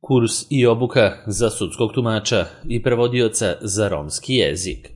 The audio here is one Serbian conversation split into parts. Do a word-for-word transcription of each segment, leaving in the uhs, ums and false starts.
Kurs i obuka za sudskog tumača i prevodioca za romski jezik.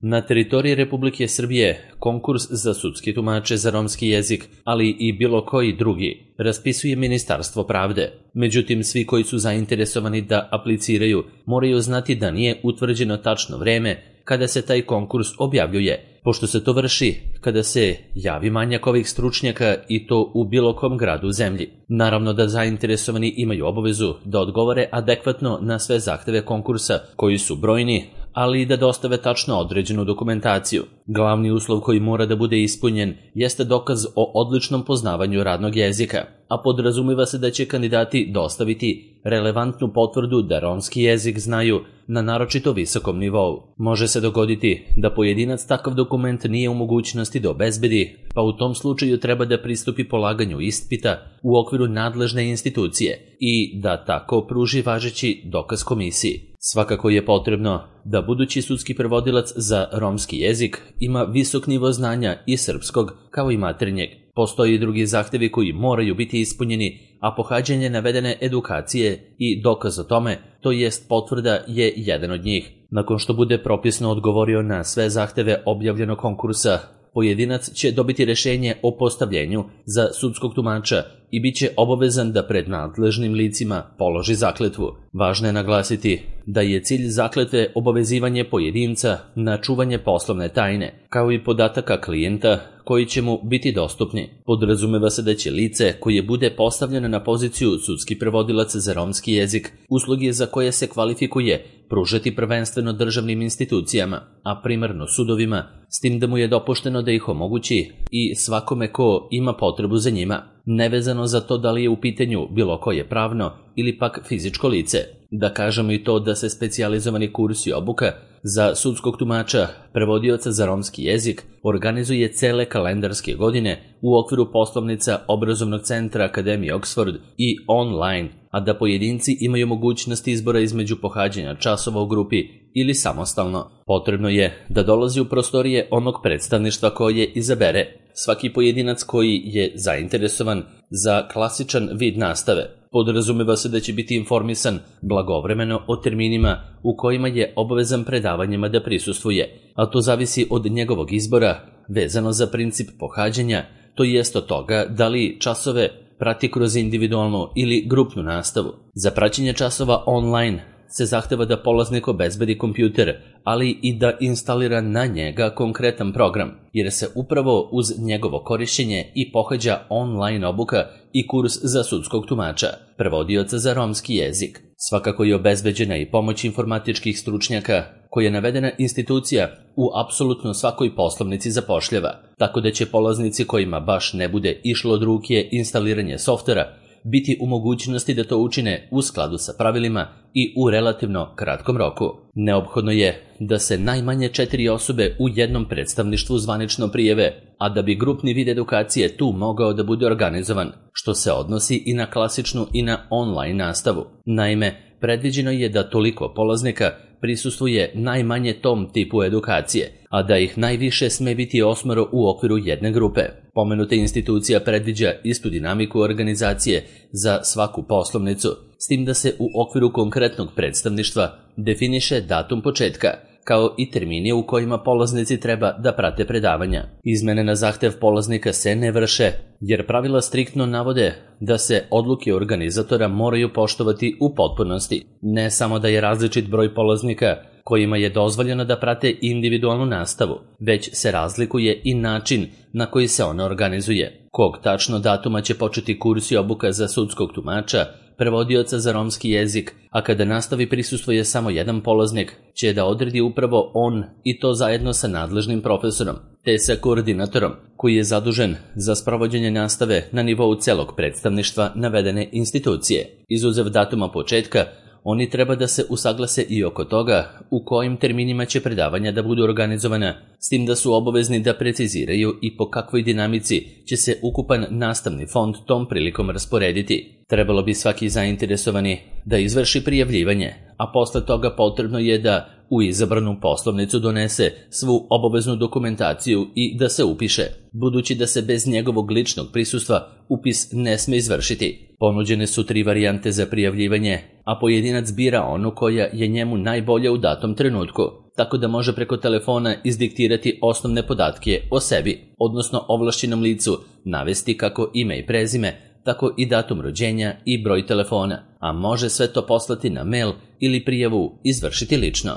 Na teritoriji Republike Srbije konkurs za sudske tumače za romski jezik, ali i bilo koji drugi, raspisuje Ministarstvo pravde. Međutim, svi koji su zainteresovani da apliciraju moraju znati da nije utvrđeno tačno vreme kada se taj konkurs objavljuje, pošto se to vrši kada se javi manjak ovih stručnjaka i to u bilo kom gradu u zemlji. Naravno da zainteresovani imaju obavezu da odgovore adekvatno na sve zahteve konkursa, koji su brojni, ali i da dostave tačno određenu dokumentaciju. Glavni uslov koji mora da bude ispunjen jeste dokaz o odličnom poznavanju radnog jezika, a podrazumiva se da će kandidati dostaviti relevantnu potvrdu da romski jezik znaju na naročito visokom nivou. Može se dogoditi da pojedinac takav dokument nije u mogućnosti da obezbedi, pa u tom slučaju treba da pristupi polaganju ispita u okviru nadležne institucije i da tako pruži važeći dokaz komisiji. Svakako je potrebno da budući sudski prevodilac za romski jezik ima visok nivo znanja i srpskog kao i maternjeg. Postoji i drugi zahtevi koji moraju biti ispunjeni, a pohađanje navedene edukacije i dokaz o tome, to jest potvrda, je jedan od njih. Nakon što bude propisno odgovorio na sve zahteve objavljenog konkursa, pojedinac će dobiti rešenje o postavljenju za sudskog tumača i bit će obavezan da pred nadležnim licima položi zakletvu. Važno je naglasiti da je cilj zakletve obavezivanje pojedinca na čuvanje poslovne tajne, kao i podataka klijenta koji će mu biti dostupni. Podrazumeva se da će lice koje bude postavljeno na poziciju sudski prevodilac za romski jezik usluge za koje se kvalifikuje pružati prvenstveno državnim institucijama, a primarno sudovima, s tim da mu je dopušteno da ih omogući i svakome ko ima potrebu za njima, nevezano za to da li je u pitanju bilo koje pravno ili pak fizičko lice. Da kažemo i to da se specijalizovani kurs i obuka za sudskog tumača, prevodioca za romski jezik, organizuje cele kalendarske godine u okviru poslovnica Obrazovnog centra Akademije Oxford i online, a da pojedinci imaju mogućnost izbora između pohađanja časova u grupi ili samostalno. Potrebno je da dolazi u prostorije onog predstavništva koje izabere. Svaki pojedinac koji je zainteresovan za klasičan vid nastave podrazumeva se da će biti informisan blagovremeno o terminima u kojima je obavezan predavanjima da prisustvuje, a to zavisi od njegovog izbora vezano za princip pohađanja, to jest od toga da li časove prati kroz individualnu ili grupnu nastavu. Za praćenje časova online se zahteva da polaznik obezbedi kompjuter, ali i da instalira na njega konkretan program, jer se upravo uz njegovo korišćenje i pohađa online obuka i kurs za sudskog tumača, prevodioca za romski jezik. Svakako je obezbeđena i pomoć informatičkih stručnjaka koje navedena institucija u apsolutno svakoj poslovnici zapošljava, tako da će polaznici kojima baš ne bude išlo od ruke instaliranje softvera biti u mogućnosti da to učine u skladu sa pravilima i u relativno kratkom roku. Neophodno je da se najmanje četiri osobe u jednom predstavništvu zvanično prijave, a da bi grupni vid edukacije tu mogao da bude organizovan, što se odnosi i na klasičnu i na online nastavu. Naime, predviđeno je da toliko polaznika prisustvuje najmanje tom tipu edukacije, a da ih najviše sme biti osmoro u okviru jedne grupe. Pomenuta institucija predviđa istu dinamiku organizacije za svaku poslovnicu, s tim da se u okviru konkretnog predstavništva definiše datum početka, kao i termini u kojima polaznici treba da prate predavanja. Izmene na zahtev polaznika se ne vrše, jer pravila striktno navode da se odluke organizatora moraju poštovati u potpunosti. Ne samo da je različit broj polaznika kojima je dozvoljeno da prate individualnu nastavu, već se razlikuje i način na koji se ona organizuje. Kog tačno datuma će početi kurs i obuka za sudskog tumača, prevodioca za romski jezik, a kada nastavi prisustvuje samo jedan polaznik, će da odredi upravo on, i to zajedno sa nadležnim profesorom, te sa koordinatorom, koji je zadužen za sprovođenje nastave na nivou celog predstavništva navedene institucije. Izuzev datuma početka, oni treba da se usaglase i oko toga u kojim terminima će predavanja da budu organizovana, s tim da su obavezni da preciziraju i po kakvoj dinamici će se ukupan nastavni fond tom prilikom rasporediti. Trebalo bi svaki zainteresovani da izvrši prijavljivanje, a posle toga potrebno je da u izabranu poslovnicu donese svu obaveznu dokumentaciju i da se upiše, budući da se bez njegovog ličnog prisustva upis ne sme izvršiti. Ponuđene su tri varijante za prijavljivanje, a pojedinac bira onu koja je njemu najbolja u datom trenutku, tako da može preko telefona izdiktirati osnovne podatke o sebi, odnosno ovlašćenom licu navesti kako ime i prezime, tako i datum rođenja i broj telefona, a može sve to poslati na mail ili prijavu izvršiti lično.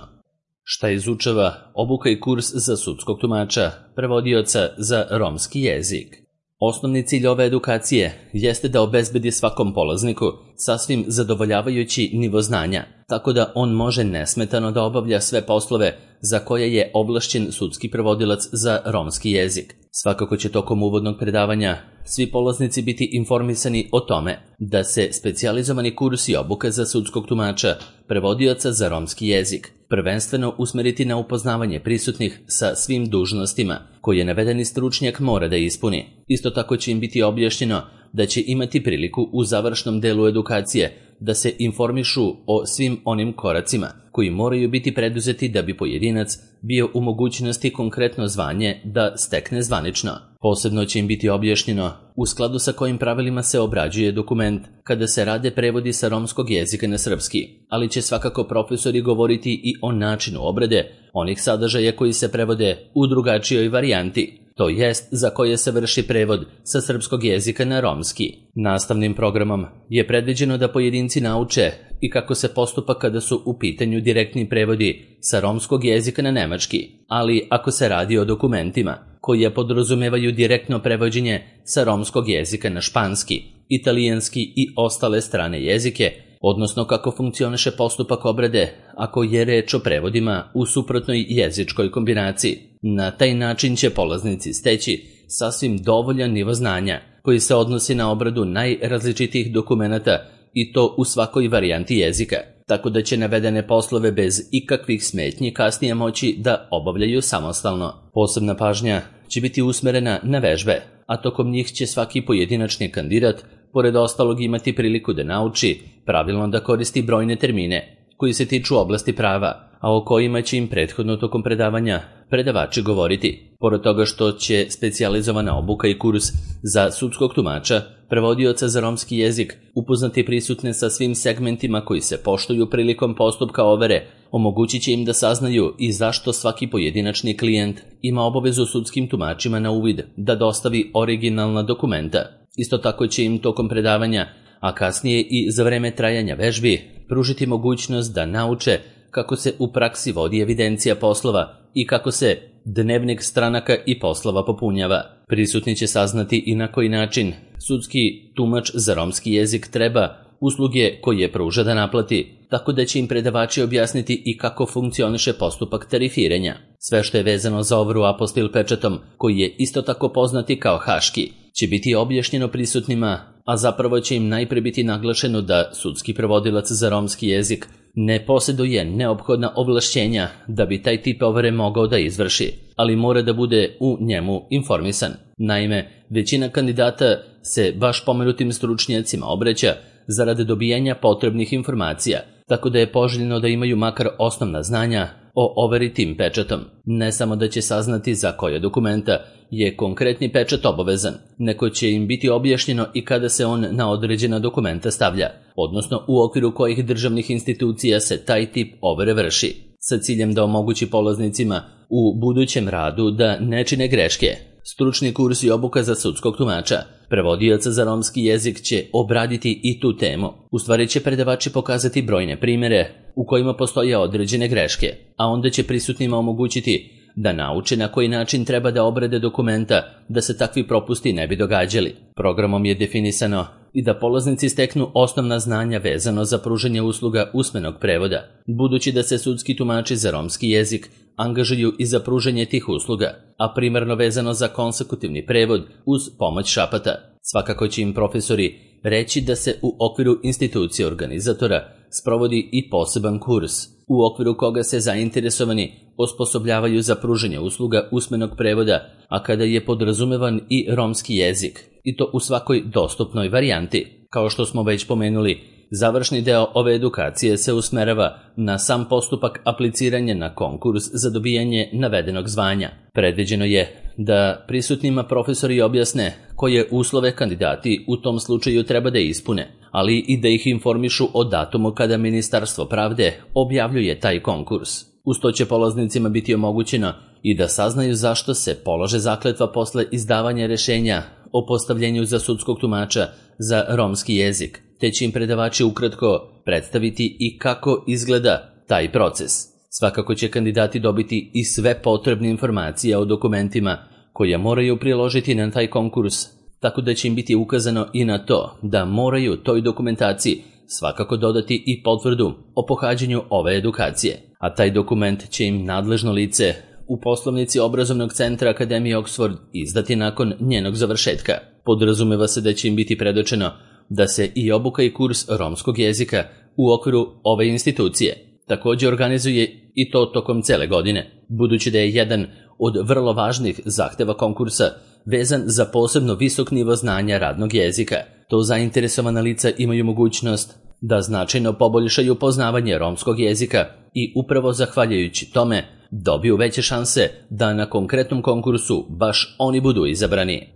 Šta izučava obuka i kurs za sudskog tumača, prevodioca za romski jezik? Osnovni cilj ove edukacije jeste da obezbedi svakom polazniku sasvim zadovoljavajući nivo znanja, tako da on može nesmetano da obavlja sve poslove za koje je ovlašćen sudski prevodilac za romski jezik. Svakako će tokom uvodnog predavanja svi polaznici biti informisani o tome da se specijalizovani kurs i obuka za sudskog tumača, prevodioca za romski jezik, prvenstveno usmeriti na upoznavanje prisutnih sa svim dužnostima koje navedeni stručnjak mora da ispuni. Isto tako će im biti objašnjeno da će imati priliku u završnom delu edukacije da se informišu o svim onim koracima koji moraju biti preduzeti da bi pojedinac bio u mogućnosti konkretno zvanje da stekne zvanično. Posebno će im biti objašnjeno u skladu sa kojim pravilima se obrađuje dokument kada se rade prevodi sa romskog jezika na srpski, ali će svakako profesori govoriti i o načinu obrade onih sadržaja koji se prevode u drugačijoj varijanti, to jest za koje se vrši prevod sa srpskog jezika na romski. Nastavnim programom je predviđeno da pojedinci nauče i kako se postupa kada su u pitanju direktni prevodi sa romskog jezika na nemački, ali ako se radi o dokumentima koji podrazumevaju direktno prevođenje sa romskog jezika na španski, italijanski i ostale strane jezike, odnosno kako funkcioniše postupak obrade ako je reč o prevodima u suprotnoj jezičkoj kombinaciji. Na taj način će polaznici steći sasvim dovoljan nivo znanja koji se odnosi na obradu najrazličitijih dokumenata i to u svakoj varijanti jezika, tako da će navedene poslove bez ikakvih smetnji kasnije moći da obavljaju samostalno. Posebna pažnja će biti usmerena na vežbe, a tokom njih će svaki pojedinačni kandidat pored ostalog imati priliku da nauči pravilno da koristi brojne termine koji se tiču oblasti prava, a o kojima će im prethodno tokom predavanja predavači govoriti. Pored toga što će specijalizovana obuka i kurs za sudskog tumača, prevodioca za romski jezik, upoznati prisutne sa svim segmentima koji se poštuju prilikom postupka overe, omogućit će im da saznaju i zašto svaki pojedinačni klijent ima obavezu sudskim tumačima na uvid da dostavi originalna dokumenta. Isto tako će im tokom predavanja, a kasnije i za vreme trajanja vežbi, pružiti mogućnost da nauče kako se u praksi vodi evidencija poslova i kako se dnevnik stranaka i poslova popunjava. Prisutni će saznati i na koji način sudski tumač za romski jezik treba usluge koje pruža da naplati, tako da će im predavači objasniti i kako funkcioniše postupak tarifiranja. Sve što je vezano za overu apostil pečatom, koji je isto tako poznati kao haški, će biti objašnjeno prisutnima, a zapravo će im najpre biti naglašeno da sudski prevodilac za romski jezik ne posjeduje neophodna ovlašćenja da bi taj tip overe mogao da izvrši, ali mora da bude u njemu informisan. Naime, većina kandidata se baš pomenutim stručnjacima obraća zarade dobijanja potrebnih informacija, tako da je poželjno da imaju makar osnovna znanja o overi tim pečatom. Ne samo da će saznati za koje dokumenta je konkretni pečat obavezan, nego će im biti objašnjeno i kada se on na određena dokumenta stavlja, odnosno u okviru kojih državnih institucija se taj tip overe vrši, sa ciljem da omogući polaznicima u budućem radu da ne čine greške. Stručni kurs i obuka za sudskog tumača, prevodioca za romski jezik će obraditi i tu temu. U stvari će predavači pokazati brojne primjere u kojima postoje određene greške, a onda će prisutnima omogućiti da nauče na koji način treba da obrade dokumenta da se takvi propusti ne bi događali. Programom je definisano i da polaznici steknu osnovna znanja vezano za pružanje usluga usmenog prevoda, budući da se sudski tumači za romski jezik angažuju i za pružanje tih usluga, a primarno vezano za konsekutivni prevod uz pomoć šapata. Svakako će im profesori reći da se u okviru institucije organizatora sprovodi i poseban kurs, u okviru koga se zainteresovani osposobljavaju za pružanje usluga usmenog prevoda, a kada je podrazumevan i romski jezik, i to u svakoj dostupnoj varijanti. Kao što smo već pomenuli, završni deo ove edukacije se usmerava na sam postupak apliciranja na konkurs za dobijanje navedenog zvanja. Predviđeno je da prisutnima profesori objasne koje uslove kandidati u tom slučaju treba da ispune, ali i da ih informišu o datumu kada Ministarstvo pravde objavljuje taj konkurs. Uz to će polaznicima biti omogućeno i da saznaju zašto se polaže zakletva posle izdavanja rešenja o postavljenju za sudskog tumača za romski jezik, te će im predavači ukratko predstaviti i kako izgleda taj proces. Svakako će kandidati dobiti i sve potrebne informacije o dokumentima koje moraju priložiti na taj konkurs, tako da će im biti ukazano i na to da moraju toj dokumentaciji svakako dodati i potvrdu o pohađanju ove edukacije, a taj dokument će im nadležno lice u poslovnici obrazovnog centra Akademije Oxford izdati nakon njenog završetka. Podrazumeva se da će im biti predočeno da se i obuka i kurs romskog jezika u okviru ove institucije također organizuje i to tokom cele godine, budući da je jedan od vrlo važnih zahteva konkursa vezan za posebno visok nivo znanja radnog jezika. To zainteresovana lica imaju mogućnost da značajno poboljšaju poznavanje romskog jezika i upravo zahvaljujući tome dobiju veće šanse da na konkretnom konkursu baš oni budu izabrani.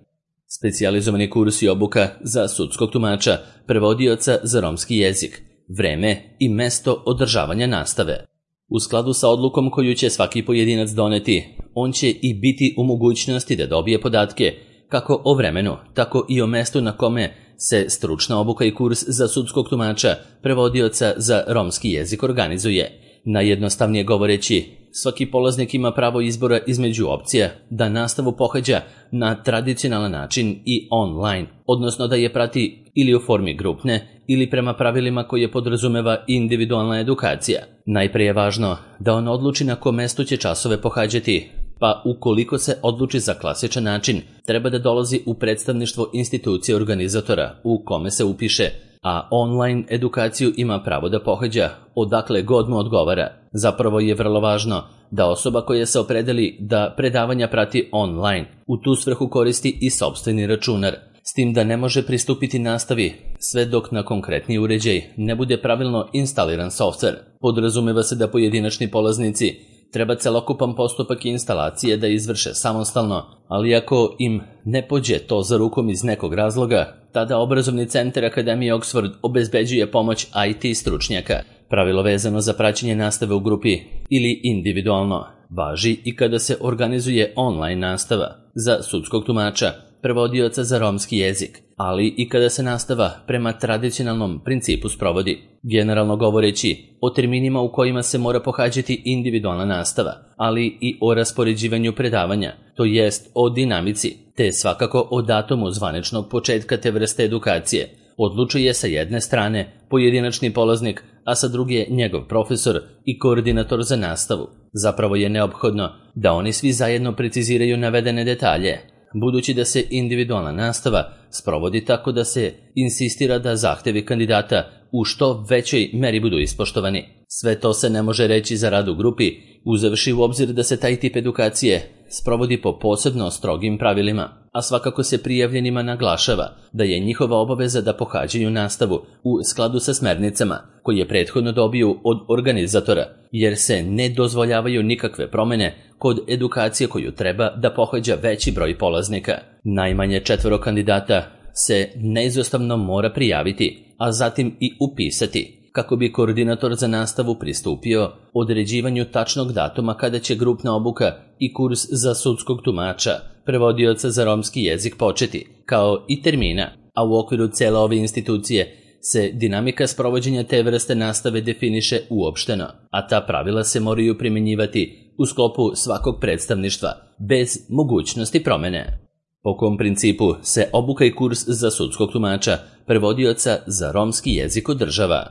Specijalizovani kurs i obuka za sudskog tumača, prevodioca za romski jezik, vreme i mesto održavanja nastave. U skladu sa odlukom koju će svaki pojedinac doneti, on će i biti u mogućnosti da dobije podatke kako o vremenu, tako i o mestu na kome se stručna obuka i kurs za sudskog tumača, prevodioca za romski jezik organizuje. Najjednostavnije govoreći, svaki polaznik ima pravo izbora između opcija da nastavu pohađa na tradicionalan način i online, odnosno da je prati ili u formi grupne ili prema pravilima koje podrazumeva individualna edukacija. Najprije je važno da on odluči na kom mestu će časove pohađati, pa ukoliko se odluči za klasičan način, treba da dolazi u predstavništvo institucije organizatora u kome se upiše, a online edukaciju ima pravo da pohađa odakle god mu odgovara. Zapravo je vrlo važno da osoba koja se opredeli da predavanja prati online u tu svrhu koristi i sopstveni računar, s tim da ne može pristupiti nastavi sve dok na konkretni uređaj ne bude pravilno instaliran softver. Podrazumeva se da pojedinačni polaznici treba celokupan postupak instalacije da izvrše samostalno, ali ako im ne pođe to za rukom iz nekog razloga, tada obrazovni centar Akademije Oxford obezbeđuje pomoć I T stručnjaka. Pravilo vezano za praćenje nastave u grupi ili individualno važi i kada se organizuje online nastava za sudskog tumača, prevodioca za romski jezik, ali i kada se nastava prema tradicionalnom principu sprovodi. Generalno govoreći o terminima u kojima se mora pohađati individualna nastava, ali i o raspoređivanju predavanja, to jest o dinamici, te svakako o datumu zvaničnog početka te vrste edukacije, odlučuje sa jedne strane pojedinačni polaznik, a sa druge njegov profesor i koordinator za nastavu. Zapravo je neophodno da oni svi zajedno preciziraju navedene detalje, budući da se individualna nastava sprovodi tako da se insistira da zahtevi kandidata u što većoj meri budu ispoštovani. Sve to se ne može reći za rad u grupi, uzevši u obzir da se taj tip edukacije sprovodi po posebno strogim pravilima, a svakako se prijavljenima naglašava da je njihova obaveza da pohađaju nastavu u skladu sa smernicama koje prethodno dobiju od organizatora, jer se ne dozvoljavaju nikakve promene kod edukacije koju treba da pohađa veći broj polaznika. Najmanje četvoro kandidata se neizostavno mora prijaviti, a zatim i upisati, kako bi koordinator za nastavu pristupio određivanju tačnog datuma kada će grupna obuka i kurs za sudskog tumača, prevodioca za romski jezik početi, kao i termina, a u okviru cele ove institucije se dinamika sprovođenja te vrste nastave definiše uopšteno, a ta pravila se moraju primjenjivati u sklopu svakog predstavništva, bez mogućnosti promene. Po kom principu se obuka i kurs za sudskog tumača, prevodioca za romski jezik održava?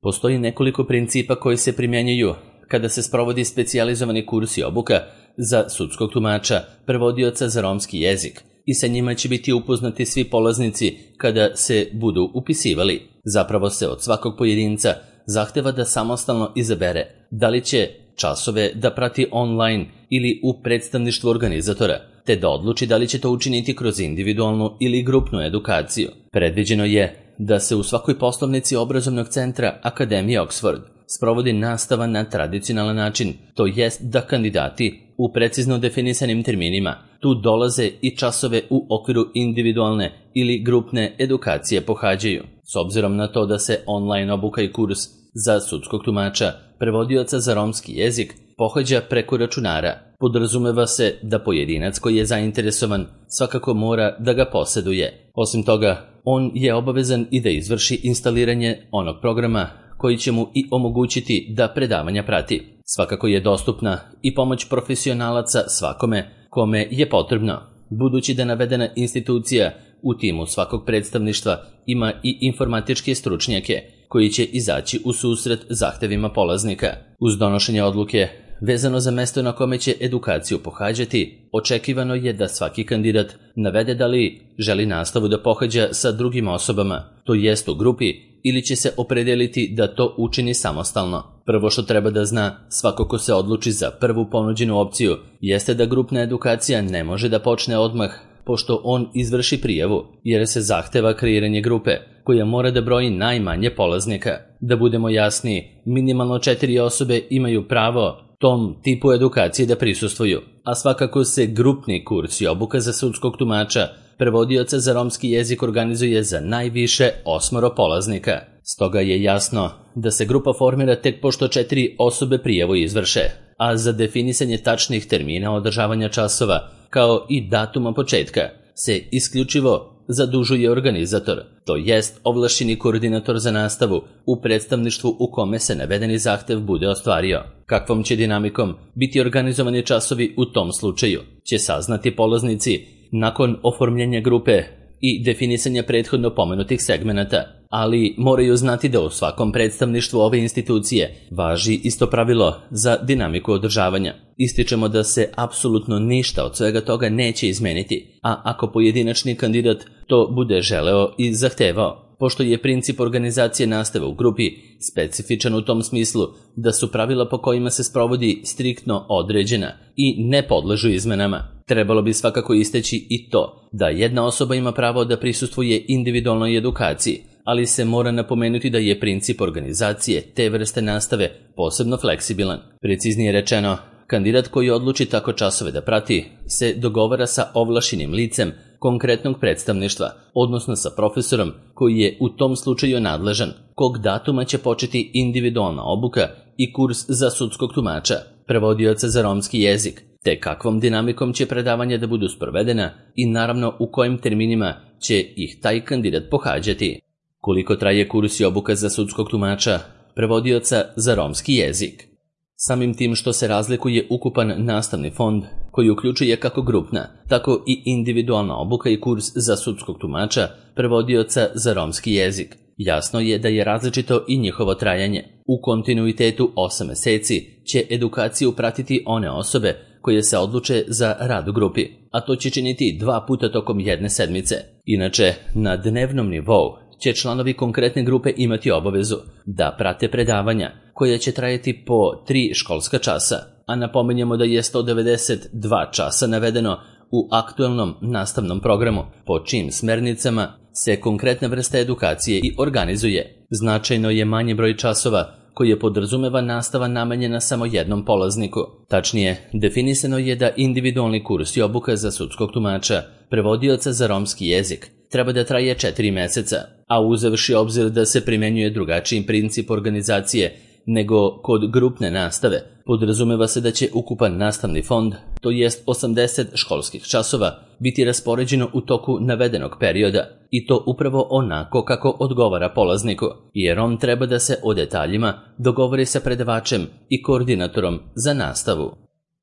Postoji nekoliko principa koji se primjenjuju kada se sprovodi specijalizovani kurs i obuka za sudskog tumača, prevodioca za romski jezik, i sa njima će biti upoznati svi polaznici kada se budu upisivali. Zapravo se od svakog pojedinca zahteva da samostalno izabere da li će časove da prati online ili u predstavništvu organizatora, te da odluči da li će to učiniti kroz individualnu ili grupnu edukaciju. Predviđeno je da se u svakoj poslovnici obrazovnog centra Akademije Oxford sprovodi nastava na tradicionalan način, to jest da kandidati u precizno definisanim terminima tu dolaze i časove u okviru individualne ili grupne edukacije pohađaju. S obzirom na to da se online obuka i kurs za sudskog tumača, prevodioca za romski jezik, pohađa preko računara, podrazumeva se da pojedinac koji je zainteresovan svakako mora da ga poseduje. Osim toga, on je obavezan i da izvrši instaliranje onog programa koji će mu i omogućiti da predavanja prati. Svakako je dostupna i pomoć profesionalaca svakome kome je potrebno, budući da navedena institucija u timu svakog predstavništva ima i informatičke stručnjake koji će izaći u susret zahtevima polaznika. Uz donošenje odluke vezano za mesto na kome će edukaciju pohađati, očekivano je da svaki kandidat navede da li želi nastavu da pohađa sa drugim osobama, to jest u grupi, ili će se opredeliti da to učini samostalno. Prvo što treba da zna svako ko se odluči za prvu ponuđenu opciju jeste da grupna edukacija ne može da počne odmah pošto on izvrši prijavu, jer se zahteva kreiranje grupe koja mora da broji najmanje polaznika. Da budemo jasniji, minimalno četiri osobe imaju pravo tom tipu edukacije da prisustvuju, a svakako se grupni kurs i obuka za sudskog tumača prevodioca za romski jezik organizuje za najviše osmoro polaznika. Stoga je jasno da se grupa formira tek pošto četiri osobe prijavu izvrše, a za definisanje tačnih termina održavanja časova, kao i datuma početka, se isključivo zadužuje organizator, to jest ovlašćeni koordinator za nastavu u predstavništvu u kome se navedeni zahtev bude ostvario. Kakvom će dinamikom biti organizovani časovi u tom slučaju će saznati polaznici nakon oformljenja grupe i definisanja prethodno pomenutih segmenata, ali moraju znati da u svakom predstavništvu ove institucije važi isto pravilo za dinamiku održavanja. Ističemo da se apsolutno ništa od svega toga neće izmeniti, a ako pojedinačni kandidat to bude želeo i zahtevao, pošto je princip organizacije nastave u grupi specifičan u tom smislu da su pravila po kojima se sprovodi striktno određena i ne podležu izmenama. Trebalo bi svakako istaći i to da jedna osoba ima pravo da prisustvuje individualnoj edukaciji, ali se mora napomenuti da je princip organizacije te vrste nastave posebno fleksibilan. Preciznije rečeno, kandidat koji odluči tako časove da prati se dogovara sa ovlašćenim licem konkretnog predstavništva, odnosno sa profesorom koji je u tom slučaju nadležan, kog datuma će početi individualna obuka i kurs za sudskog tumača, prevodioca za romski jezik, te kakvom dinamikom će predavanja da budu sprovedena i naravno u kojim terminima će ih taj kandidat pohađati. Koliko traje kurs i obuka za sudskog tumača, prevodioca za romski jezik? Samim tim što se razlikuje ukupan nastavni fond koji uključuje kako grupna, tako i individualna obuka i kurs za sudskog tumača, prevodioca za romski jezik. Jasno je da je različito i njihovo trajanje. U kontinuitetu osam meseci će edukaciju pratiti one osobe koje se odluče za rad u grupi, a to će činiti dva puta tokom jedne sedmice. Inače, na dnevnom nivou će članovi konkretne grupe imati obavezu da prate predavanja koja će trajati po tri školska časa, a napominjemo da je sto devedeset dva časa navedeno u aktuelnom nastavnom programu, po čijim smernicama se konkretna vrsta edukacije i organizuje. Značajno je manji broj časova koji podrazumeva nastava namenjena samo jednom polazniku. Tačnije, definisano je da individualni kurs i obuka za sudskog tumača, prevodioca za romski jezik, treba da traje četiri meseca, a uzevši obzir da se primenjuje drugačiji princip organizacije nego kod grupne nastave, podrazumeva se da će ukupan nastavni fond, to jest osamdeset školskih časova, biti raspoređeno u toku navedenog perioda, i to upravo onako kako odgovara polazniku, jer on treba da se o detaljima dogovori sa predavačem i koordinatorom za nastavu.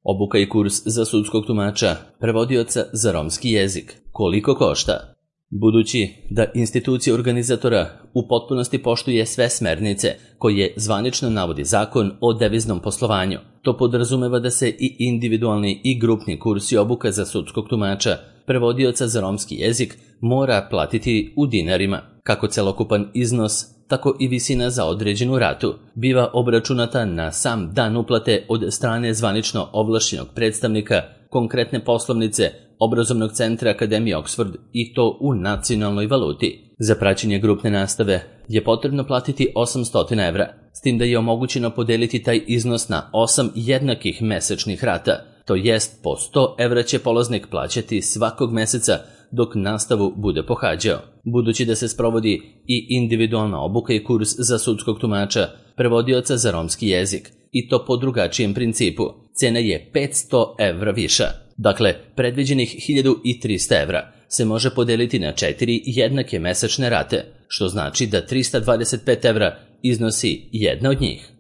Obuka i kurs za sudskog tumača, prevodioca za romski jezik. Koliko košta? Budući da institucija organizatora u potpunosti poštuje sve smernice koje zvanično navodi Zakon o deviznom poslovanju, to podrazumeva da se i individualni i grupni kurs i obuka za sudskog tumača, prevodioca za romski jezik, mora platiti u dinarima. Kako celokupan iznos, tako i visina za određenu ratu biva obračunata na sam dan uplate od strane zvanično ovlašćenog predstavnika konkretne poslovnice obrazovnog centra Akademije Oxford, i to u nacionalnoj valuti. Za praćenje grupne nastave je potrebno platiti osamsto evra, s tim da je omogućeno podeliti taj iznos na osam jednakih mesečnih rata, to jest po sto evra će polaznik plaćati svakog meseca dok nastavu bude pohađao. Budući da se sprovodi i individualna obuka i kurs za sudskog tumača, prevodioca za romski jezik, i to po drugačijem principu, cena je petsto evra viša. Dakle, predviđenih hiljadu trista evra se može podeliti na četiri jednake mesečne rate, što znači da trista dvadeset pet evra iznosi jedna od njih.